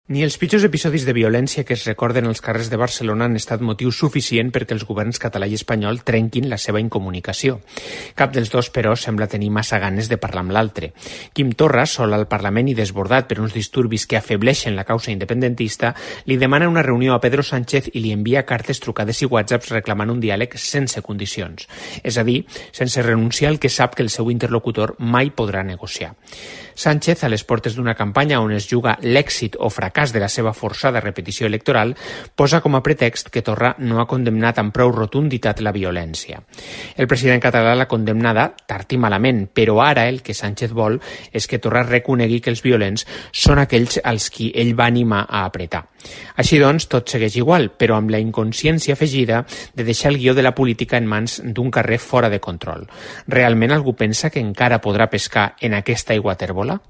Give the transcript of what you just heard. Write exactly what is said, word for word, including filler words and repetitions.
Ni els pitjors episodis de violència que es recorden als carrers de Barcelona han estat motiu suficient perquè els governs català i espanyol trenquin la seva incomunicació. Cap dels dos, però, sembla tenir massa ganes de parlar amb l'altre. Quim Torra, sol al Parlament i desbordat per uns disturbis que afebleixen la causa independentista, li demana una reunió a Pedro Sánchez i li envia cartes, trucades i whatsapps reclamant un diàleg sense condicions. És a dir, sense renunciar al que sap que el seu interlocutor mai podrà negociar. Sánchez, a les portes d'una campanya on es juga l'èxit o fracàs de la seva forçada repetició electoral, posa com a pretext que Torra no ha condemnat amb prou rotunditat la violència. El president català l'ha condemnada tard i malament, però ara el que Sánchez vol és que Torra reconegui que els violents són aquells als qui ell va animar a apretar. Així doncs, tot segueix igual, però amb la inconsciència afegida de deixar el guió de la política en mans d'un carrer fora de control. Realment algú pensa que encara podrà pescar en aquesta aigua tèrbola?